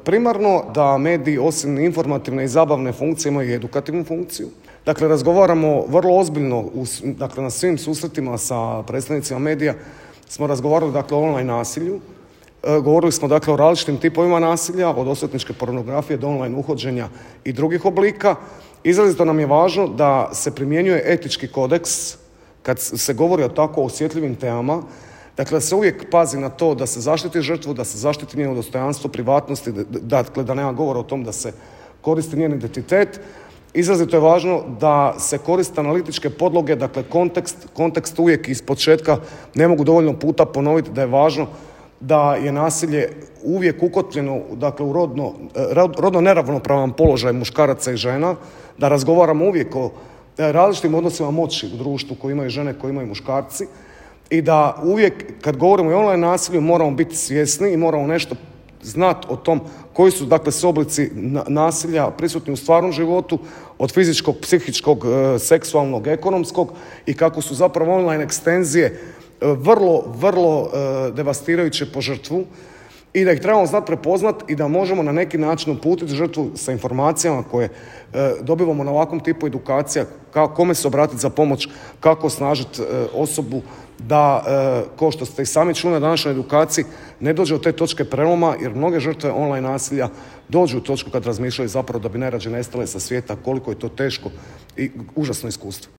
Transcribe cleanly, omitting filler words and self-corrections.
Primarno da mediji osim informativne i zabavne funkcije imaju i edukativnu funkciju. Dakle, razgovaramo vrlo ozbiljno, na svim susretima sa predstavnicima medija smo razgovarali o online nasilju. Govorili smo o različitim tipovima nasilja, od osvetničke pornografije do online uhođenja i drugih oblika. Izrazito nam je važno da se primjenjuje etički kodeks kad se govori o tako osjetljivim temama. Dakle, da se uvijek pazi na to da se zaštiti žrtvu, da se zaštiti njeno dostojanstvo, privatnosti, da nema govora o tom da se koristi njen identitet. Izrazito je važno da se koriste analitičke podloge, dakle kontekst uvijek iz početka ne mogu dovoljno puta ponoviti da je važno da je nasilje uvijek ukotljeno u rodno neravnopravan položaj muškaraca i žena, da razgovaramo uvijek o različitim odnosima moći u društvu koji imaju žene, koji imaju muškarci i da uvijek kad govorimo o online nasilju moramo biti svjesni i moramo nešto znati o tom koji su sve oblici nasilja prisutni u stvarnom životu, od fizičkog, psihičkog, seksualnog, ekonomskog i kako su zapravo online ekstenzije vrlo devastirajuće po žrtvu i da ih trebamo znati prepoznati i da možemo na neki način uputiti žrtvu sa informacijama koje dobivamo na ovakvom tipu edukacija, kome se obratiti za pomoć, kako osnažiti osobu da, kao što ste i sami čuli na današnjoj edukaciji, ne dođe od te točke preloma, jer mnoge žrtve online nasilja dođu u točku kad razmišljaju zapravo da bi najrađe nestale sa svijeta, koliko je to teško i užasno iskustvo.